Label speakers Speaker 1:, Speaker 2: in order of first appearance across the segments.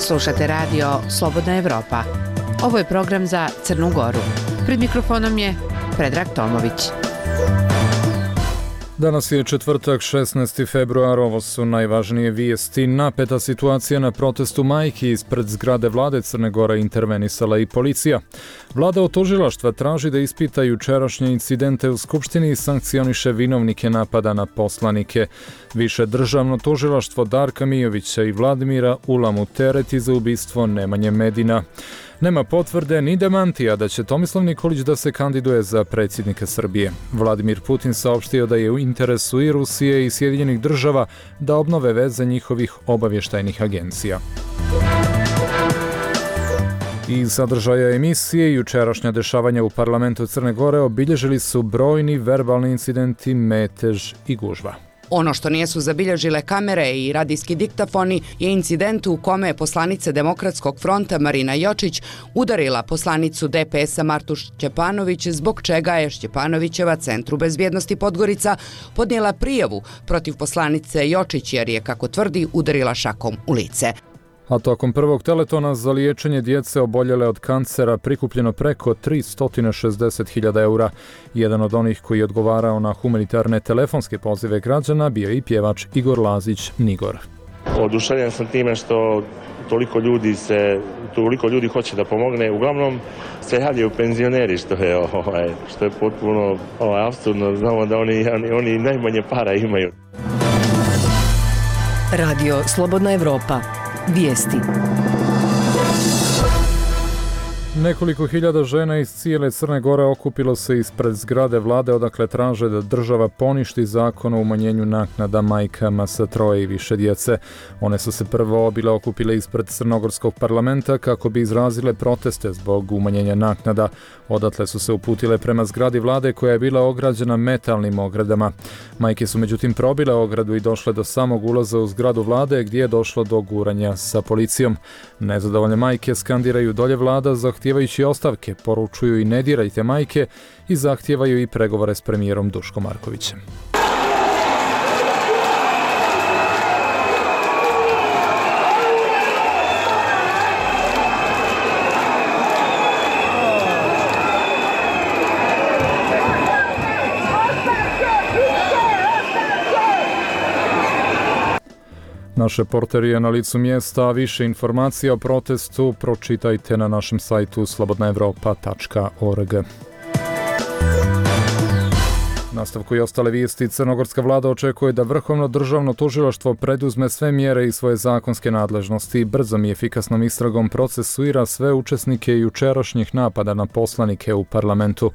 Speaker 1: Slušate radio Slobodna Evropa. Ovo je program za Crnu Goru. Pred mikrofonom je Predrag Tomović.
Speaker 2: Danas je četvrtak, 16. februar, ovo su najvažnije vijesti. Napeta situacija na protestu majki ispred zgrade vlade Crne Gore intervenisala i policija. Vlada od tužilaštva traži da ispita jučerašnje incidente u Skupštini i sankcioniše vinovnike napada na poslanike. Više državno tužilaštvo Darka Mijovića i Vladimira Ulamu tereti za ubistvo Nemanje Medina. Nema potvrde ni demantija da će Tomislav Nikolić da se kandiduje za predsjednika Srbije. Vladimir Putin saopštio da je u interesu i Rusije i Sjedinjenih država da obnove veze njihovih obavještajnih agencija. Iz sadržaja emisije jučerašnja dešavanja u parlamentu Crne Gore obilježili su brojni verbalni incidenti, metež i gužva.
Speaker 3: Ono što nisu zabilježile kamere i radijski diktafoni je incident u kome je poslanica Demokratskog fronta Marina Jočić udarila poslanicu DPS-a Martu Šćepanović, zbog čega je Šćepanovićeva Centru bezbjednosti Podgorica podnijela prijavu protiv poslanice Jočić jer je, kako tvrdi, udarila šakom u lice.
Speaker 2: A tokom prvog teletona za liječenje djece oboljele od kancera prikupljeno preko 360.000 eura. Jedan od onih koji je odgovarao na humanitarne telefonske pozive građana bio i pjevač Igor Lazić Nigor.
Speaker 4: Oduševljen sam time što toliko ljudi hoće da pomogne. Uglavnom se javljaju penzioneri, što je potpuno apsurdno. Znamo da oni najmanje para imaju.
Speaker 5: Radio Slobodna Evropa. Vijesti.
Speaker 2: Nekoliko hiljada žena iz cijele Crne Gore okupilo se ispred zgrade vlade odakle traže da država poništi zakon o umanjenju naknada majkama sa 3 i više djece. One su se prvo bile okupile ispred Crnogorskog parlamenta kako bi izrazile proteste zbog umanjenja naknada. Odatle su se uputile prema zgradi vlade koja je bila ograđena metalnim ogradama. Majke su međutim probile ogradu i došle do samog ulaza u zgradu vlade gdje je došlo do guranja sa policijom. Nezadovoljne majke skandiraju dolje vlada, zahtijevajući ostavke, poručuju i ne dirajte majke i zahtijevaju i pregovore s premijerom Duškom Markovićem. Naš reporter je na licu mjesta, a više informacija o protestu pročitajte na našem sajtu slobodnaevropa.org. Nastavku i ostale vijesti, crnogorska vlada očekuje da Vrhovno državno tužilaštvo preduzme sve mjere i svoje zakonske nadležnosti i brzom i efikasnom istragom procesuira sve učesnike jučerašnjih napada na poslanike u parlamentu.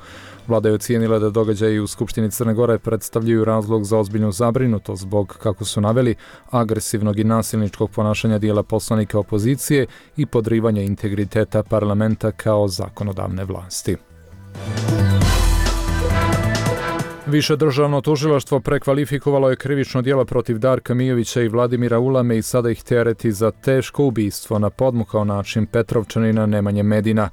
Speaker 2: Vlada je ocijenila da događaji u Skupštini Crne Gore predstavljaju razlog za ozbiljnu zabrinutost zbog, kako su naveli, agresivnog i nasilničkog ponašanja dijela poslanika opozicije i podrivanja integriteta parlamenta kao zakonodavne vlasti. Više državno tužilaštvo prekvalifikovalo je krivično djelo protiv Darka Mijovića i Vladimira Ulame i sada ih tereti za teško ubistvo na podmukao način Petrovčanina Nemanje Medina.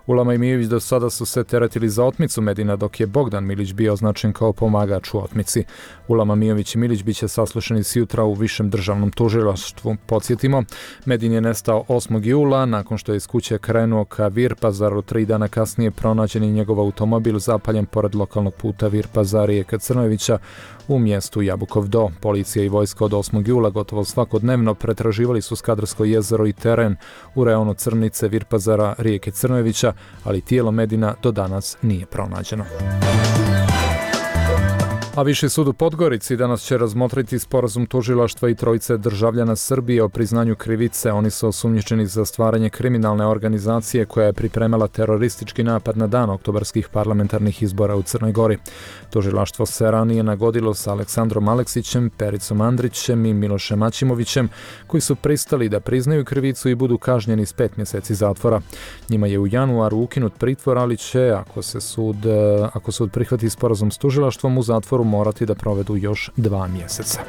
Speaker 2: Ulama i Mijović do sada su se teretili za otmicu Medina, dok je Bogdan Milić bio označen kao pomagač u otmici. Ulama, Mijović i Milić biće saslušani sjutra u Višem državnom tužilaštvu. Podsjetimo, Medin je nestao 8. jula, nakon što je iz kuće krenuo ka Virpazaru. 3 dana kasnije pronađen je njegov automobil zapaljen pored lokalnog puta Virpazar-Rijeka Crnojevića u mjestu Jabukov Do. Policija i vojska od 8. jula gotovo svakodnevno pretraživali su Skadarsko jezero i teren u reonu Crnice, Virpazara, Rijeke Crnojevića, ali tijelo Medina do danas nije pronađeno. A Viši sud u Podgorici danas će razmotriti sporazum tužilaštva i trojice državljana Srbije o priznanju krivice. Oni su osumnjičeni za stvaranje kriminalne organizacije koja je pripremala teroristički napad na dan oktobarskih parlamentarnih izbora u Crnoj Gori. Tužilaštvo se ranije nagodilo sa Aleksandrom Aleksićem, Pericom Andrićem i Milošem Aćimovićem, koji su pristali da priznaju krivicu i budu kažnjeni s 5 mjeseci zatvora. Njima je u januaru ukinut pritvor, ali će, ako sud prihvati sporazum s tužilaštvom, u zatvoru morati da provedu još 2 mjeseca.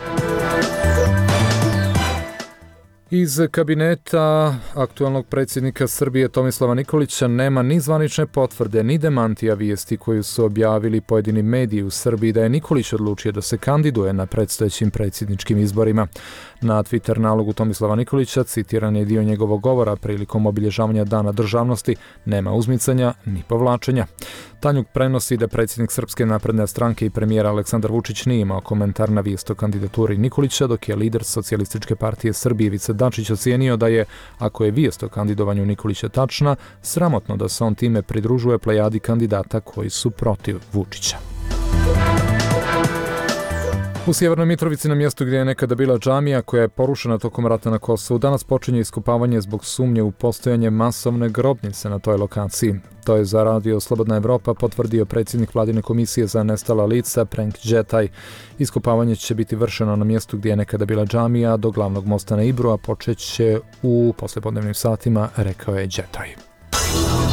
Speaker 2: Iz kabineta aktualnog predsjednika Srbije Tomislava Nikolića nema ni zvanične potvrde, ni demantija vijesti koju su objavili pojedini mediji u Srbiji da je Nikolić odlučio da se kandiduje na predstojećim predsjedničkim izborima. Na Twitter nalogu Tomislava Nikolića citiran je dio njegovog govora prilikom obilježavanja Dana državnosti: nema uzmicanja ni povlačenja. Tanjug prenosi da predsjednik Srpske napredne stranke i premijer Aleksandar Vučić nije imao komentar na vijest o kandidaturi Nikolića, dok je lider Socijalističke partije Srbije Ivica Dačić ocijenio da je, ako je vijest o kandidovanju Nikolića tačna, sramotno da se on time pridružuje plejadi kandidata koji su protiv Vučića. U Sjevernoj Mitrovici, na mjestu gdje je nekada bila džamija koja je porušena tokom rata na Kosovu, danas počinje iskopavanje zbog sumnje u postojanje masovne grobnice na toj lokaciji. To je za radio Slobodna Evropa potvrdio predsjednik vladine komisije za nestala lica Prenk Džetaj. Iskopavanje će biti vršeno na mjestu gdje je nekada bila džamija do glavnog mosta na Ibru, a počet će u poslijepodnevnim satima, rekao je Džetaj.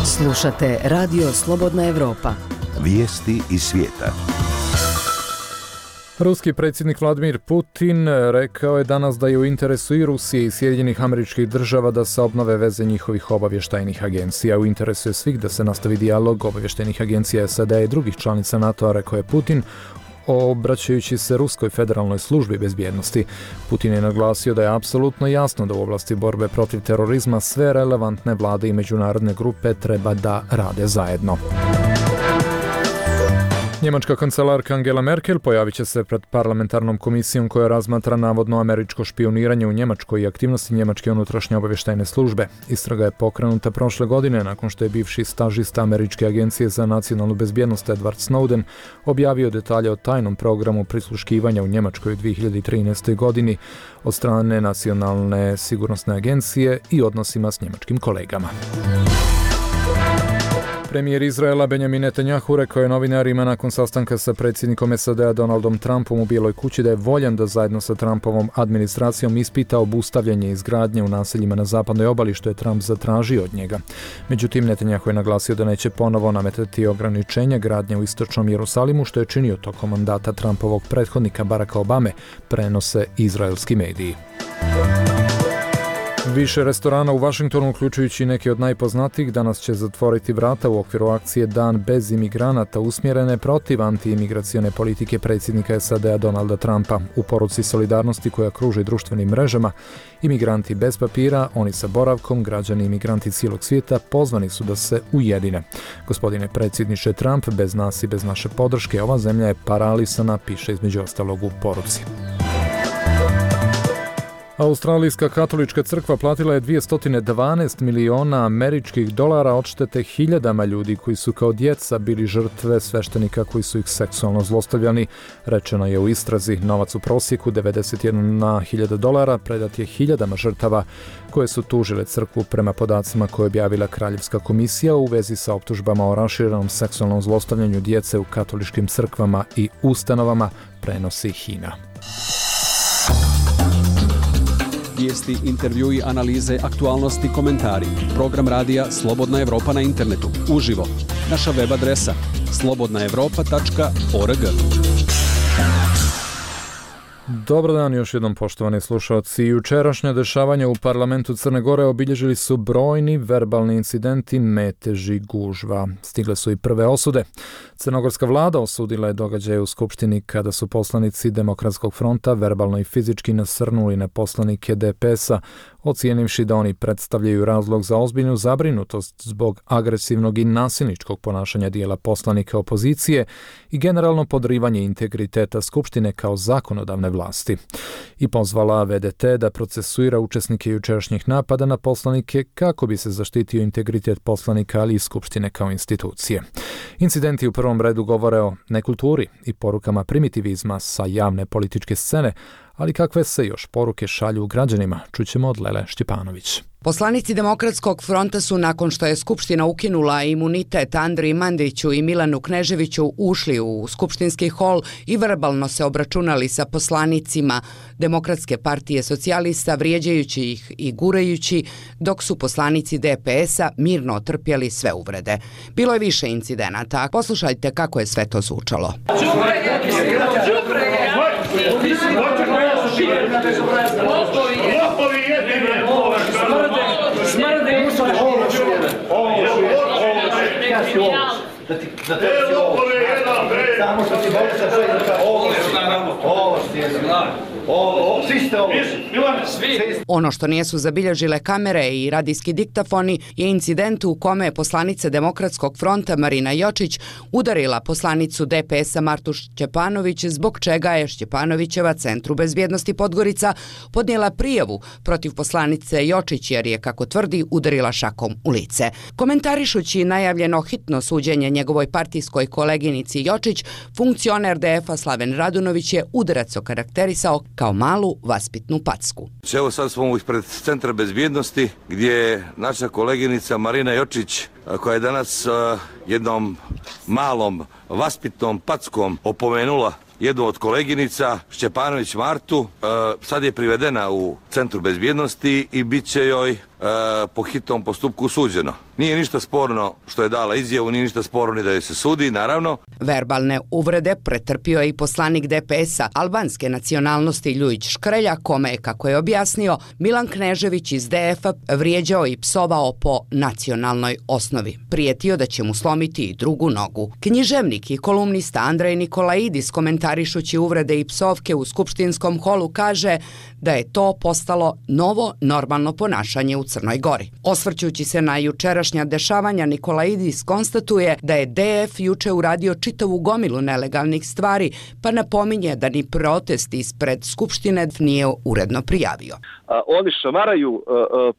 Speaker 5: Slušate radio Slobodna Evropa.
Speaker 6: Vijesti iz svijeta.
Speaker 2: Ruski predsjednik Vladimir Putin rekao je danas da je u interesu i Rusije i Sjedinjenih Američkih Država da se obnove veze njihovih obavještajnih agencija. U interesu je svih da se nastavi dijalog obavještajnih agencija SAD i drugih članica NATO-a, rekao je Putin, obraćajući se Ruskoj federalnoj službi bezbjednosti. Putin je naglasio da je apsolutno jasno da u oblasti borbe protiv terorizma sve relevantne vlade i međunarodne grupe treba da rade zajedno. Njemačka kancelarka Angela Merkel pojavit će se pred parlamentarnom komisijom koja razmatra navodno američko špijuniranje u Njemačkoj i aktivnosti njemačke unutrašnje obavještajne službe. Istraga je pokrenuta prošle godine nakon što je bivši stažista Američke agencije za nacionalnu bezbjednost Edward Snowden objavio detalje o tajnom programu prisluškivanja u Njemačkoj u 2013. godini od strane Nacionalne sigurnosne agencije i odnosima s njemačkim kolegama. Premijer Izraela Benjamin Netanjahu rekao je novinarima nakon sastanka sa predsjednikom SAD-a Donaldom Trumpom u Bijeloj kući da je voljan da zajedno sa Trumpovom administracijom ispita obustavljanje izgradnje u naseljima na zapadnoj obali, što je Trump zatražio od njega. Međutim, Netanjahu je naglasio da neće ponovo nametati ograničenja gradnje u istočnom Jerusalimu, što je činio tokom mandata Trumpovog prethodnika Baracka Obame, prenose izraelski mediji. Više restorana u Vašingtonu, uključujući neke od najpoznatijih, danas će zatvoriti vrata u okviru akcije Dan bez imigranata, usmjerene protiv antiimigracione politike predsjednika SAD-a Donalda Trumpa. U poruci solidarnosti koja kruži društvenim mrežama, imigranti bez papira, oni sa boravkom, građani imigranti cijelog svijeta pozvani su da se ujedine. Gospodine predsjedniče Trump, bez nas i bez naše podrške ova zemlja je paralisana, piše između ostalog u poruci. Australijska katolička crkva platila je 212 miliona američkih dolara odštete hiljadama ljudi koji su kao djeca bili žrtve sveštenika koji su ih seksualno zlostavljani. Rečeno je u istrazi, novac u prosjeku 91.000 dolara predat je hiljadama žrtava koje su tužile crkvu prema podacima koje je objavila Kraljevska komisija u vezi sa optužbama o raširenom seksualnom zlostavljanju djece u katoličkim crkvama i ustanovama, prenosi HINA.
Speaker 7: Vijesti, intervjui, analize, aktualnosti, komentari. Program radija Slobodna Evropa na internetu. Uživo. Naša web adresa slobodnaevropa.org.
Speaker 2: Dobar dan još jednom, poštovani slušalci. Jučerašnja dešavanja u parlamentu Crne Gore obilježili su brojni verbalni incidenti, meteži, gužva. Stigle su i prve osude. Crnogorska vlada osudila je događaje u Skupštini kada su poslanici Demokratskog fronta verbalno i fizički nasrnuli na poslanike DPS-a, ocijenivši da oni predstavljaju razlog za ozbiljnu zabrinutost zbog agresivnog i nasilničkog ponašanja dijela poslanika opozicije i generalno podrivanje integriteta Skupštine kao zakonodavne vlasti. I pozvala VDT da procesuira učesnike jučerašnjih napada na poslanike kako bi se zaštitio integritet poslanika, ali i Skupštine kao institucije. Incidenti u prvom redu govore o nekulturi i porukama primitivizma sa javne političke scene, ali kakve se još poruke šalju građanima, čućemo od Lele Štjepanović.
Speaker 3: Poslanici Demokratskog fronta su, nakon što je Skupština ukinula imunitet Andriji Mandiću i Milanu Kneževiću, ušli u skupštinski hol i verbalno se obračunali sa poslanicima Demokratske partije socijalista, vrijeđajući ih i gurajući, dok su poslanici DPS-a mirno otrpjeli sve uvrede. Bilo je više incidenata. Poslušajte kako je sve to zvučalo.
Speaker 8: Lopovi jedni si ovo. Da ti ovo. Samo što ti bolje sa ovo ti je ovo, svi ste ovo.
Speaker 3: Ono što nisu zabilježile kamere i radijski diktafoni je incident u kome je poslanica Demokratskog fronta Marina Jočić udarila poslanicu DPS-a Martu Šćepanović, zbog čega je Šćepanovićeva Centru bezbjednosti Podgorica podnijela prijavu protiv poslanice Jočić jer je, kako tvrdi, udarila šakom u lice. Komentarišući najavljeno hitno suđenje njegovoj partijskoj koleginici Jočić, funkcioner DF-a Slaven Radunović je udarac okarakterisao kao malu vaspitnu packu.
Speaker 9: Evo sad smo ispred Centra bezbjednosti gdje je naša koleginica Marina Jočić, koja je danas jednom malom vaspitnom packom opomenula jednu od koleginica, Šćepanović Martu, sad je privedena u Centru bezbjednosti i bit će joj po hitnom postupku suđeno. Nije ništa sporno što je dala izjavu, nije ništa sporno ni da je se sudi, naravno.
Speaker 3: Verbalne uvrede pretrpio je i poslanik DPS-a albanske nacionalnosti Ljujić Škrelja, kome je, kako je objasnio, Milan Knežević iz DF-a vrijeđao i psovao po nacionalnoj osnovi. Prijetio da će mu slomiti i drugu nogu. Književnik i kolumnista Andrej Nikolaidis, komentarišući uvrede i psovke u skupštinskom holu, kaže da je to postalo novo normalno ponašanje u Crnoj Gori. Osvrćući se na jučerašnja dešavanja, Nikolaidis konstatuje da je DF juče uradio čitavu gomilu nelegalnih stvari, pa napominje da ni protest ispred Skupštine nije uredno prijavio.
Speaker 10: Oni šamaraju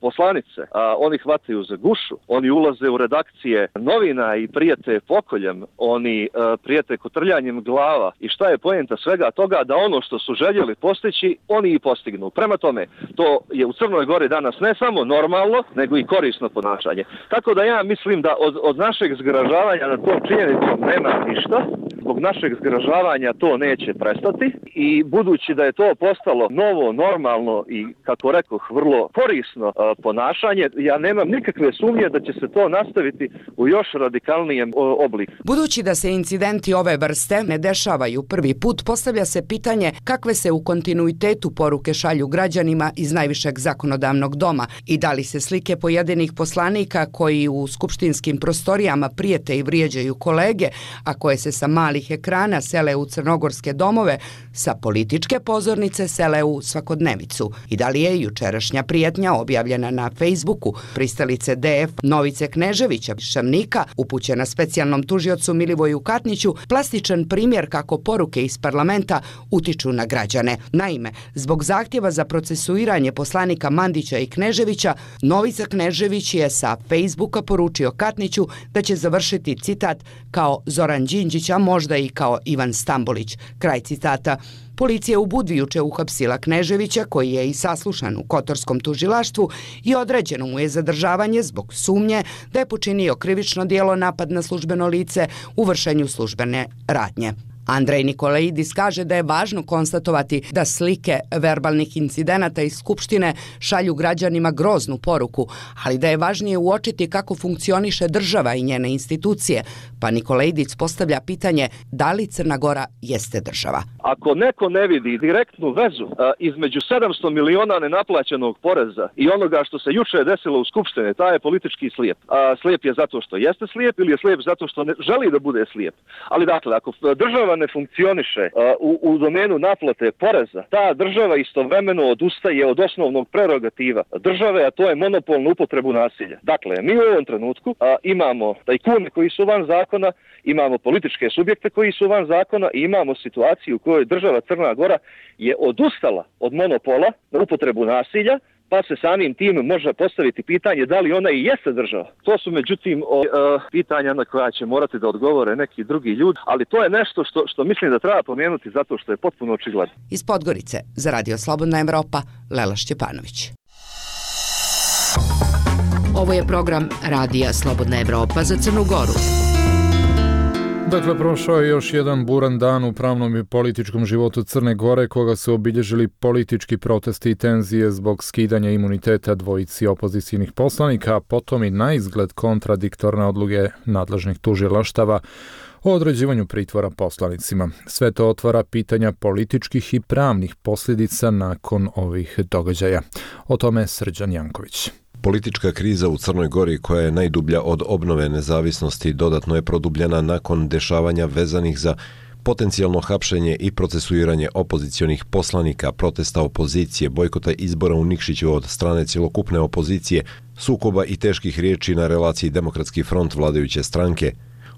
Speaker 10: poslanice, oni hvataju za gušu, oni ulaze u redakcije novina i prijete pokoljem, oni prijete kotrljanjem glava. I šta je poenta svega toga? Da ono što su željeli postići, oni i postignu. Prema tome, to je u Crnoj Gori danas ne samo normalno, nego i korisno ponašanje. Tako da ja mislim da od našeg zgražavanja na tom činjenicom nema ništa. Zbog našeg zgražavanja to neće prestati i budući da je to postalo novo, normalno i, kako rekoh, vrlo korisno ponašanje, ja nemam nikakve sumnje da će se to nastaviti u još radikalnijem obliku.
Speaker 3: Budući da se incidenti ove vrste ne dešavaju prvi put, postavlja se pitanje kakve se u kontinuitetu poruke šalju građanima iz najvišeg zakonodavnog doma i da li se slike pojedinih poslanika koji u skupštinskim prostorijama prijete i vrijeđaju kolege, a koje se sa malih ekrana sele u crnogorske domove, sa političke pozornice sele u svakodnevicu. I da li je jučerašnja prijetnja objavljena na Facebooku pristalice DF Novice Kneževića Šarnika, upućena specijalnom tužiocu Milivoju Katniću, plastičan primjer kako poruke iz parlamenta utiču na građane. Naime, zbog zahtjeva za procesuiranje poslanika Mandića i Kneževića, Novica Knežević je sa Facebooka poručio Katniću da će završiti, citat, kao Zoran Đinđić, a možda i kao Ivan Stambolić. Kraj citata. Policija u Budvi juče uhapsila Kneževića, koji je i saslušan u Kotorskom tužilaštvu i određeno mu je zadržavanje zbog sumnje da je počinio krivično djelo napad na službeno lice u vršenju službene radnje. Andrej Nikolaidis kaže da je važno konstatovati da slike verbalnih incidenata iz Skupštine šalju građanima groznu poruku, ali da je važnije uočiti kako funkcioniše država i njene institucije, pa Nikolaidis postavlja pitanje da li Crna Gora jeste država.
Speaker 10: Ako neko ne vidi direktnu vezu između 700 miliona nenaplaćenog poreza i onoga što se juče desilo u Skupštini, taj je politički slijep. Slijep je zato što jeste slijep ili je slijep zato što ne želi da bude slijep. Ali dakle, ako država ne funkcioniše u domenu naplate poreza, ta država istovremeno odustaje od osnovnog prerogativa države, a to je monopol na upotrebu nasilja. Dakle, mi u ovom trenutku imamo tajkune koji su van zakona, imamo političke subjekte koji su van zakona i imamo situaciju u kojoj država Crna Gora je odustala od monopola na upotrebu nasilja, pa se samim tim može postaviti pitanje da li ona i jeste država. To su međutim pitanja na koja će morati da odgovore neki drugi ljudi, ali to je nešto što mislim da treba pomenuti zato što je potpuno očigledno.
Speaker 3: Iz Podgorice za Radio Slobodna Evropa, Lela Šćepanović. Ovo je program Radija Slobodna Evropa za Crnu Goru.
Speaker 2: Dakle, prošao je još jedan buran dan u pravnom i političkom životu Crne Gore, koga su obilježili politički protesti i tenzije zbog skidanja imuniteta dvojici opozicijnih poslanika, a potom i na izgled kontradiktorne odluke nadležnih tužilaštava o određivanju pritvora poslanicima. Sve to otvara pitanja političkih i pravnih posljedica nakon ovih događaja. O tome Srđan Janković.
Speaker 11: Politička kriza u Crnoj Gori, koja je najdublja od obnove nezavisnosti, dodatno je produbljena nakon dešavanja vezanih za potencijalno hapšenje i procesuiranje opozicionih poslanika, protesta opozicije, bojkota izbora u Nikšiću od strane cjelokupne opozicije, sukoba i teških riječi na relaciji Demokratski front vladajuće stranke.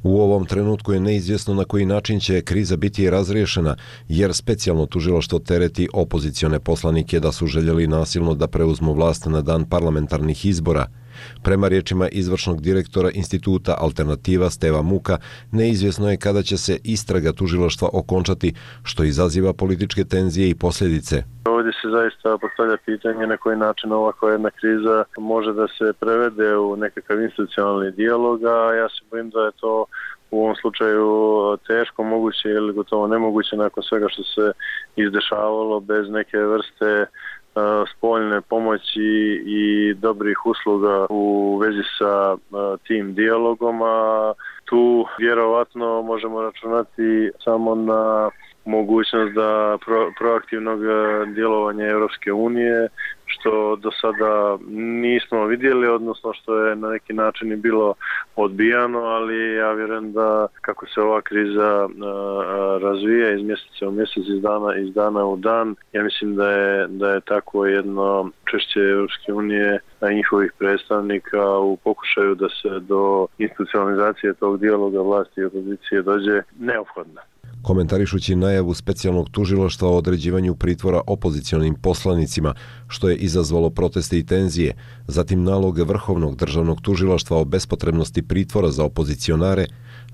Speaker 11: U ovom trenutku je neizvjesno na koji način će kriza biti razriješena, jer specijalno tužilaštvo tereti opozicione poslanike da su željeli nasilno da preuzmu vlast na dan parlamentarnih izbora. Prema riječima izvršnog direktora instituta Alternativa Steva Muka, neizvjesno je kada će se istraga tužilaštva okončati, što izaziva političke tenzije i posljedice.
Speaker 12: Ovdje se zaista postavlja pitanje na koji način ovakva jedna kriza može da se prevede u nekakav institucionalni dijalog, a ja se bojim da je to u ovom slučaju teško moguće ili gotovo nemoguće nakon svega što se izdešavalo bez neke vrste spoljne pomoći i dobrih usluga u vezi sa tim dijalogom, a tu vjerovatno možemo računati samo na mogućnost da proaktivnog djelovanja Europske unije, što do sada nismo vidjeli, odnosno što je na neki način i bilo odbijano, ali ja vjerujem da kako se ova kriza razvija iz mjeseca u mjesec, iz dana u dan, ja mislim da je tako jedno učešće Europske unije i njihovih predstavnika u pokušaju da se do institucionalizacije tog dijaloga vlasti i opozicije dođe neophodna.
Speaker 11: Komentarišući najavu specijalnog tužilaštva o određivanju pritvora opozicionim poslanicima, što je izazvalo proteste i tenzije, zatim nalog Vrhovnog državnog tužilaštva o bespotrebnosti pritvora za opozicionare,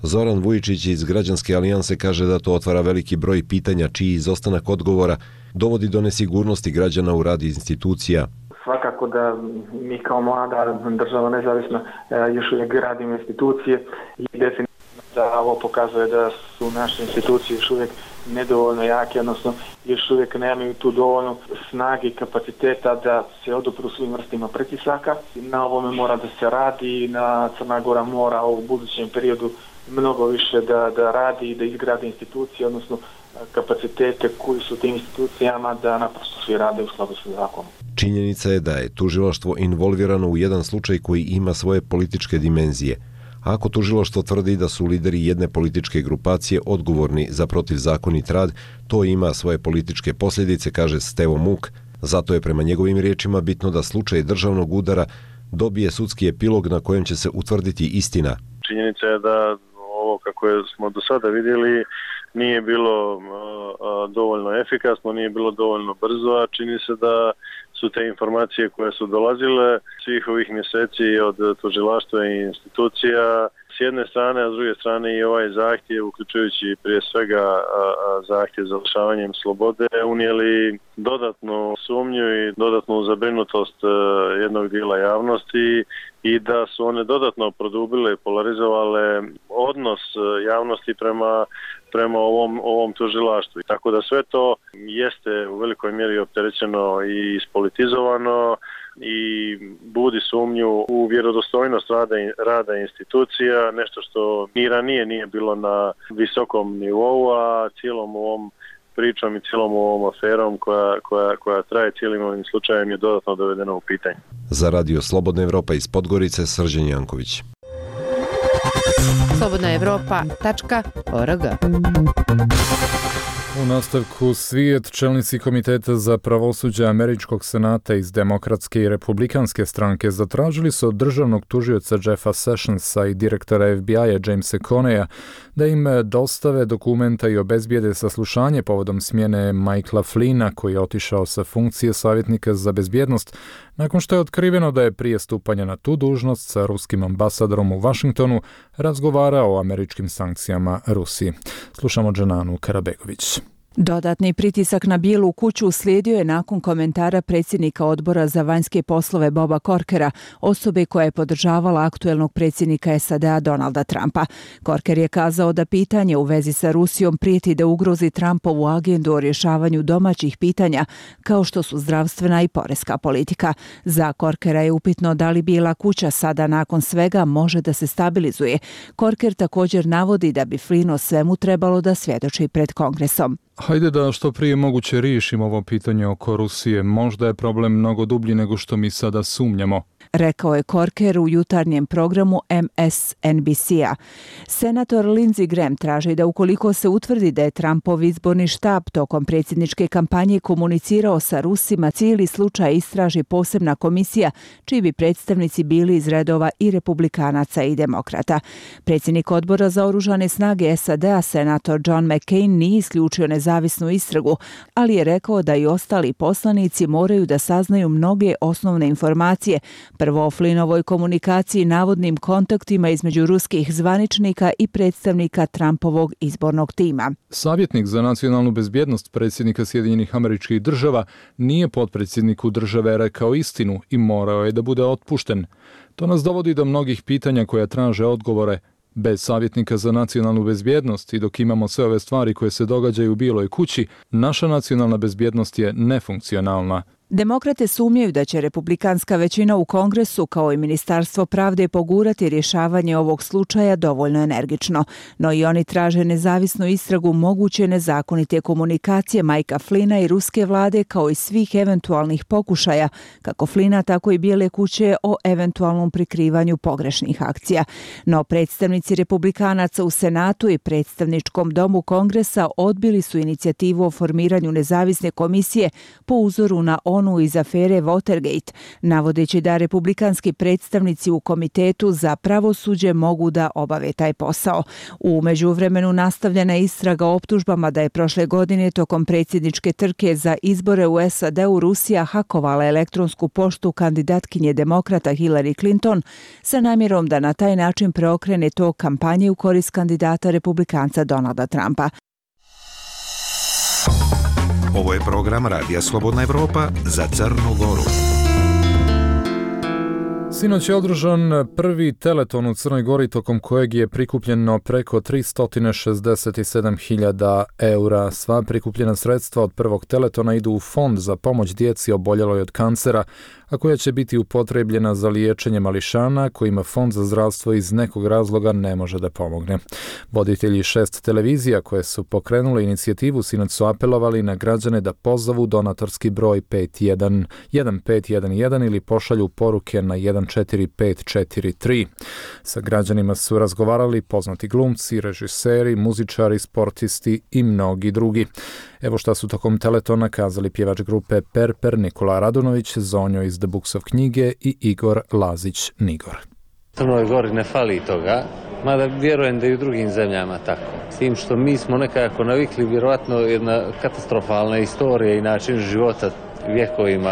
Speaker 11: Zoran Vujičić iz Građanske alijanse kaže da to otvara veliki broj pitanja čiji izostanak odgovora dovodi do nesigurnosti građana u rad institucija.
Speaker 13: Svakako da mi kao mlada država nezavisna još uvijek gradimo institucije i definitivno da ovo pokazuje da su naše institucije još uvijek nedovoljno jake, odnosno još uvijek nemaju tu dovoljno snage i kapaciteta da se odupru svim vrstima pritisaka. Na ovome mora da se radi i na Crna Gora mora u budućem periodu mnogo više da radi i da izgradi institucije, odnosno kapacitete koji su tim institucijama da naprosto svi rade u skladu sa zakonom.
Speaker 11: Činjenica je da je tužilaštvo involvirano u jedan slučaj koji ima svoje političke dimenzije. Ako tužilaštvo tvrdi da su lideri jedne političke grupacije odgovorni za protivzakonit rad, to ima svoje političke posljedice, kaže Stevo Muk. Zato je prema njegovim riječima bitno da slučaj državnog udara dobije sudski epilog na kojem će se utvrditi istina.
Speaker 12: Činjenica je da ovo kako smo do sada vidjeli nije bilo dovoljno efikasno, nije bilo dovoljno brzo, a čini se da su te informacije koje su dolazile svih ovih mjeseci od tužilaštva i institucija s jedne strane, a s druge strane i ovaj zahtjev, uključujući prije svega zahtjev za lišavanjem slobode, unijeli dodatnu sumnju i dodatnu zabrinutost jednog dijela javnosti i da su one dodatno produbile i polarizovale odnos javnosti prema ovom tužilaštvu. Tako da sve to jeste u velikoj mjeri opterećeno i ispolitizovano i budi sumnju u vjerodostojnost rada institucija, nešto što ni ranije nije bilo na visokom nivou, a cijelom ovom pričom i cijelom ovom aferom koja traje cijelim ovim slučajem je dodatno dovedeno u pitanje.
Speaker 11: Za Radio Slobodna Evropa iz Podgorice, Srđan Janković.
Speaker 1: slobodnaevropa.org.
Speaker 2: U nastavku svijet, čelnici Komiteta za pravosuđe Američkog senata iz Demokratske i Republikanske stranke zatražili su od državnog tužioca Jeffa Sessionsa i direktora FBI-a Jamesa Coneya da im dostave dokumenta i obezbijede saslušanje povodom smjene Michaela Flynna, koji je otišao sa funkcije savjetnika za bezbjednost nakon što je otkriveno da je prije stupanja na tu dužnost sa ruskim ambasadorom u Washingtonu razgovarao o američkim sankcijama Rusiji. Slušamo Dženanu Karabegović.
Speaker 14: Dodatni pritisak na Bijelu kuću uslijedio je nakon komentara predsjednika odbora za vanjske poslove Boba Corkera, osobe koja je podržavala aktuelnog predsjednika SAD-a Donalda Trumpa. Corker je kazao da pitanje u vezi sa Rusijom prijeti da ugrozi Trumpovu agendu o rješavanju domaćih pitanja, kao što su zdravstvena i poreska politika. Za Corkera je upitno da li Bijela kuća sada nakon svega može da se stabilizuje. Corker također navodi da bi Flynn o svemu trebalo da svjedoči pred Kongresom.
Speaker 2: Hajde da što prije moguće riješimo ovo pitanje oko Rusije. Možda je problem mnogo dublji nego što mi sada sumnjamo.
Speaker 14: rekao je Corker u jutarnjem programu MSNBC-a. Senator Lindsey Graham traži da ukoliko se utvrdi da je Trumpov izborni štab tokom predsjedničke kampanje komunicirao sa Rusima, cijeli slučaj istraži posebna komisija čiji bi predstavnici bili iz redova i republikanaca i demokrata. Predsjednik odbora za oružane snage SAD-a, senator John McCain, nije isključio nezavisnu istragu, ali je rekao da i ostali poslanici moraju da saznaju mnoge osnovne informacije, prvo o Flynnovoj komunikaciji i navodnim kontaktima između ruskih zvaničnika i predstavnika Trumpovog izbornog tima.
Speaker 2: Savjetnik za nacionalnu bezbjednost predsjednika Sjedinjenih Američkih Država nije potpredsjedniku države rekao istinu i morao je da bude otpušten. To nas dovodi do mnogih pitanja koja traže odgovore. Bez savjetnika za nacionalnu bezbjednost i dok imamo sve ove stvari koje se događaju u Bijeloj kući, naša nacionalna bezbjednost je nefunkcionalna.
Speaker 14: Demokrate sumnjaju da će republikanska većina u Kongresu kao i Ministarstvo pravde pogurati rješavanje ovog slučaja dovoljno energično, no i oni traže nezavisnu istragu moguće nezakonite komunikacije Mikea Flynna i ruske vlade kao i svih eventualnih pokušaja, kako Flynna tako i Bijele kuće, o eventualnom prikrivanju pogrešnih akcija. No predstavnici republikanaca u Senatu i predstavničkom domu Kongresa odbili su inicijativu o formiranju nezavisne komisije po uzoru na onu iz afere Watergate, navodeći da republikanski predstavnici u Komitetu za pravosuđe mogu da obave taj posao. U međuvremenu nastavljena istraga o optužbama da je prošle godine tokom predsjedničke trke za izbore u SAD-u Rusija hakovala elektronsku poštu kandidatkinje demokrata Hillary Clinton sa namjerom da na taj način preokrene tok kampanje u korist kandidata republikanca Donalda Trumpa.
Speaker 6: Ovo je program Radija Slobodna Evropa za Crnu Goru.
Speaker 2: Sinoć je održan prvi teleton u Crnoj Gori tokom kojeg je prikupljeno preko 367.000 eura. Sva prikupljena sredstva od prvog teletona idu u fond za pomoć djeci oboljeloj od kancera, a koja će biti upotrebljena za liječenje mališana kojima Fond za zdravstvo iz nekog razloga ne može da pomogne. Voditelji 6 televizija koje su pokrenule inicijativu sinoć su apelovali na građane da pozovu donatorski broj 1511 ili pošalju poruke na 14543. Sa građanima su razgovarali poznati glumci, režiseri, muzičari, sportisti i mnogi drugi. Evo šta su tokom teletona kazali pjevač grupe Perper Nikola Radunović, Zonjo iz The Books of knjige i Igor Lazić Nigor.
Speaker 15: Crnoj Gori ne fali toga, mada vjerujem da i u drugim zemljama tako. S tim što mi smo nekako navikli, vjerovatno jedna katastrofalna istorija i način života vjekovima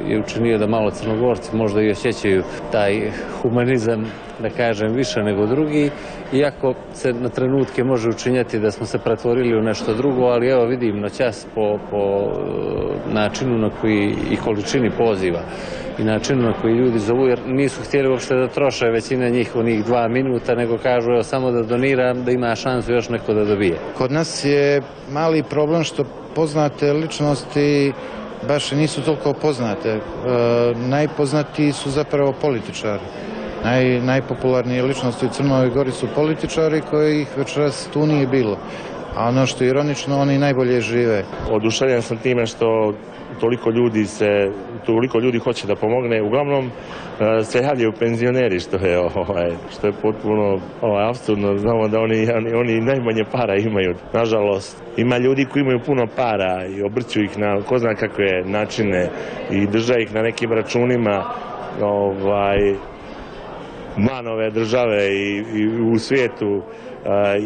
Speaker 15: je učinio da malo Crnogorci možda i osjećaju taj humanizam, da kažem, više nego drugi, iako se na trenutke može učinjati da smo se pretvorili u nešto drugo, ali evo vidim noćas po načinu na koji i količini poziva i načinu na koji ljudi zovu, jer nisu htjeli uopšte da troše većina njih onih 2 minuta, nego kažu evo samo da doniram, da ima šansu još neko da dobije.
Speaker 16: Kod nas je mali problem što poznate ličnosti baš nisu toliko poznate. Najpoznatiji su zapravo političari. Najpopularnije ličnosti u Crnoj Gori su političari kojih večeras tu nije bilo. A ono što je ironično, oni najbolje žive.
Speaker 4: Oduševljen sam time što toliko ljudi hoće da pomogne. Uglavnom se javljaju penzioneri, što je potpuno apsurdno. Znamo da oni najmanje para imaju. Nažalost, ima ljudi koji imaju puno para i obrću ih na ko zna kakve načine i drže ih na nekim računima van ove države i u svijetu.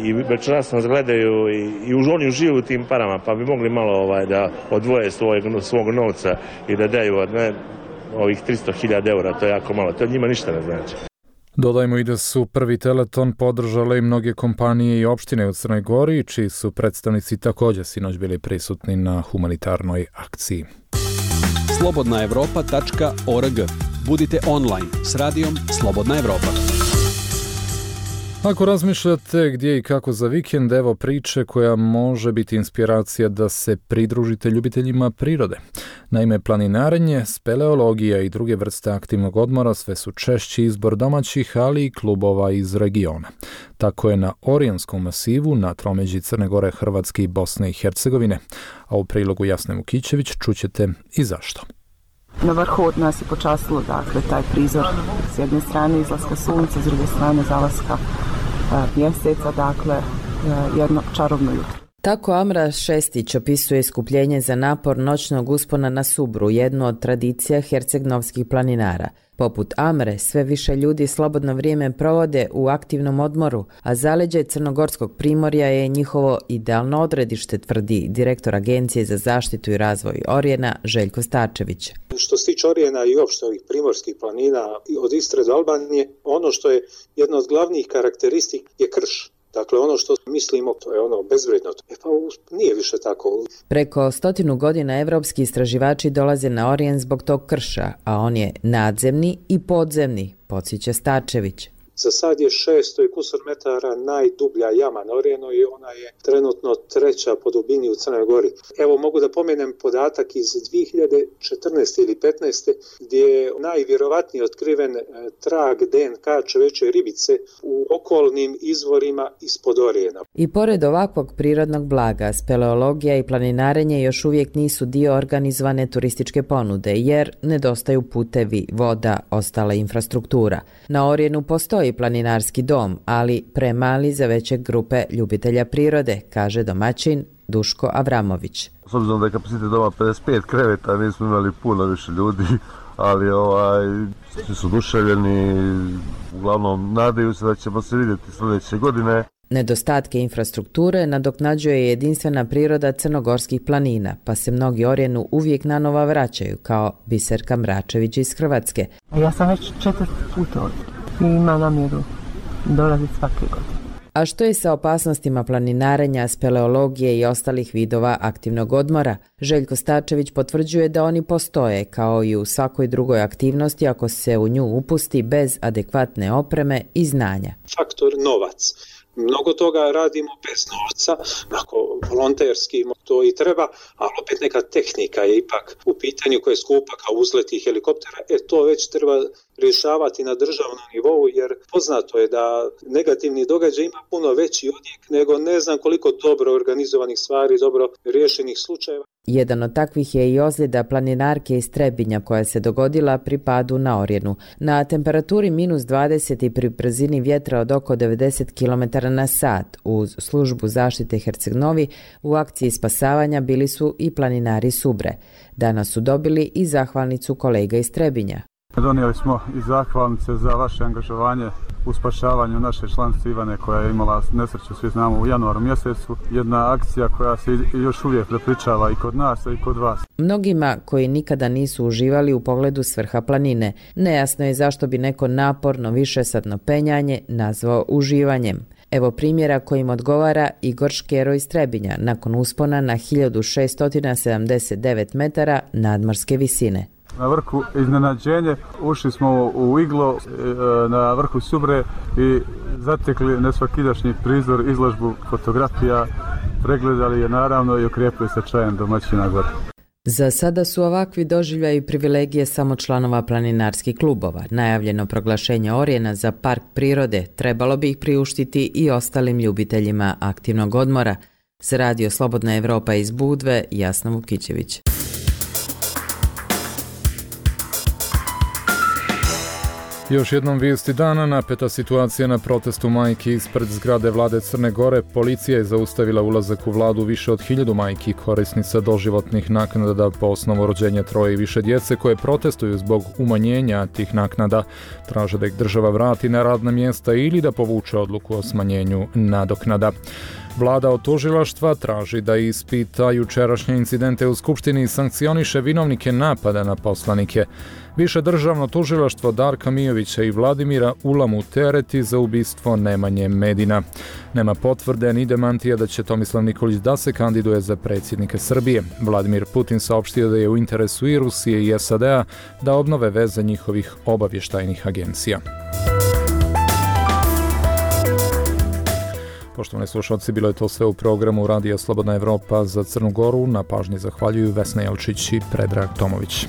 Speaker 4: I večeras nas gledaju i oni uživaju tim parama, pa bi mogli malo da odvoje svog novca i da daju ovih 300.000 eura, to je jako malo, to njima ništa ne znači.
Speaker 2: Dodajmo i da su prvi teleton podržale i mnoge kompanije i opštine u Crnoj Gori, čiji su predstavnici također sinoć bili prisutni na humanitarnoj akciji.
Speaker 7: slobodnaevropa.org. Budite online s radijom Slobodna Evropa.
Speaker 2: Ako razmišljate gdje i kako za vikend, evo priče koja može biti inspiracija da se pridružite ljubiteljima prirode. Naime, planinarenje, speleologija i druge vrste aktivnog odmora sve su češći izbor domaćih, ali i klubova iz regiona. Tako je na Orionskom masivu, na tromeđi Crne Gore, Hrvatske i Bosne i Hercegovine. A u prilogu Jasne Vukićević čućete i zašto.
Speaker 17: Na vrhu od nas je počastilo, dakle, taj prizor s jedne strane izlaska sunca, s druge strane zalaska mjeseca, dakle, jedno čarobno jutro.
Speaker 18: Tako Amra Šestić opisuje iskupljenje za napor noćnog uspona na Subru, jednu od tradicija hercegnovskih planinara. Poput Amre, sve više ljudi slobodno vrijeme provode u aktivnom odmoru, a zaleđe Crnogorskog primorja je njihovo idealno odredište, tvrdi direktor Agencije za zaštitu i razvoj Orijena Željko Starčević.
Speaker 19: Što se tiče Orijena i uopšte ovih primorskih planina od Istre do Albanije, ono što je jedna od glavnih karakteristika je krš. Dakle, ono što mislimo, to je ono bezvredno. Pa nije više tako.
Speaker 18: Preko 100 godina evropski istraživači dolaze na Orijen zbog tog krša, a on je nadzemni i podzemni, podsjeća Starčević.
Speaker 19: Za sad je 600 kusur metara najdublja jama na Orijenu i ona je trenutno 3. po dubini u Crnoj Gori. Evo mogu da pomenem podatak iz 2014. ili 15. gdje je najvjerovatnije otkriven trag DNK čovječje ribice u okolnim izvorima ispod Orijena.
Speaker 18: I pored ovakvog prirodnog blaga, speleologija i planinarenje još uvijek nisu dio organizovane turističke ponude, jer nedostaju putevi, voda, ostala infrastruktura. Na Orijenu postoji planinarski dom, ali premali za veće grupe ljubitelja prirode, kaže domaćin Duško Avramović.
Speaker 20: S obzirom da je kapacitet doma 55 kreveta, nismo imali puno više ljudi, ali svi su oduševljeni, uglavnom nadaju se da ćemo se vidjeti sljedeće godine.
Speaker 18: Nedostatke infrastrukture nadoknađuje jedinstvena priroda crnogorskih planina, pa se mnogi Orijenu uvijek nanova vraćaju, kao Biserka Mračević iz Hrvatske.
Speaker 17: Ja sam već 4 puta ovdje i ima namjeru dolaziti svake godine.
Speaker 18: A što je sa opasnostima planinarenja, speleologije i ostalih vidova aktivnog odmora? Željko Starčević potvrđuje da oni postoje, kao i u svakoj drugoj aktivnosti ako se u nju upusti bez adekvatne opreme i znanja.
Speaker 19: Faktor novac. Mnogo toga radimo bez novca, ako volonterski to i treba, ali opet neka tehnika je ipak u pitanju koja je skupa kao uzleti helikoptera, to već treba rješavati na državnom nivou, jer poznato je da negativni događaj ima puno veći odjek nego ne znam koliko dobro organizovanih stvari, dobro rješenih slučajeva.
Speaker 18: Jedan od takvih je i ozljeda planinarke iz Trebinja koja se dogodila pri padu na Orijenu. Na temperaturi -20 i pri brzini vjetra od oko 90 km/h uz službu zaštite Herceg-Novi u akciji spasavanja bili su i planinari Subre. Danas su dobili i zahvalnicu kolega iz Trebinja.
Speaker 21: Donijeli smo i zahvalnice za vaše angažovanje u spašavanju naše članice Ivane koja je imala nesreću, svi znamo, u januaru mjesecu. Jedna akcija koja se još uvijek prepričava i kod nas, i kod vas.
Speaker 18: Mnogima koji nikada nisu uživali u pogledu s vrha planine, nejasno je zašto bi neko naporno višesatno penjanje nazvao uživanjem. Evo primjera kojim odgovara Igor Škero iz Trebinja nakon uspona na 1679 metara nadmorske visine.
Speaker 21: Na vrhu iznenađenje, ušli smo u iglo na vrhu Subre i zatekli nesvakidašnji prizor, izložbu fotografija, pregledali je naravno i okrepili se čajem domaćina gore.
Speaker 18: Za sada su ovakvi doživljaji privilegije samo članova planinarskih klubova. Najavljeno proglašenje Orijena za park prirode trebalo bi ih priuštiti i ostalim ljubiteljima aktivnog odmora. Za Radio Slobodna Evropa iz Budve, Jasna Vukićević.
Speaker 2: Još jednom vijesti dana, napeta situacija na protestu majki ispred zgrade vlade Crne Gore. Policija je zaustavila ulazak u vladu više od 1000 majki korisnica doživotnih naknada po osnovu rođenja 3 i više djece koje protestuju zbog umanjenja tih naknada. Traže da ih država vrati na radna mjesta ili da povuče odluku o smanjenju nadoknada. Vlada od tužilaštva traži da ispita jučerašnje incidente u Skupštini i sankcioniše vinovnike napada na poslanike. Više državno tužilaštvo Darka Mijovića i Vladimira Ulamu tereti za ubistvo Nemanje Medina. Nema potvrde ni demantija da će Tomislav Nikolić da se kandiduje za predsjednika Srbije. Vladimir Putin saopštio da je u interesu i Rusije i SAD-a da obnove veze njihovih obavještajnih agencija. Poštovani slušalci, bilo je to sve u programu Radija Slobodna Evropa za Crnu Goru. Na pažnji zahvaljuju Vesna Jelčić i Predrag Tomović.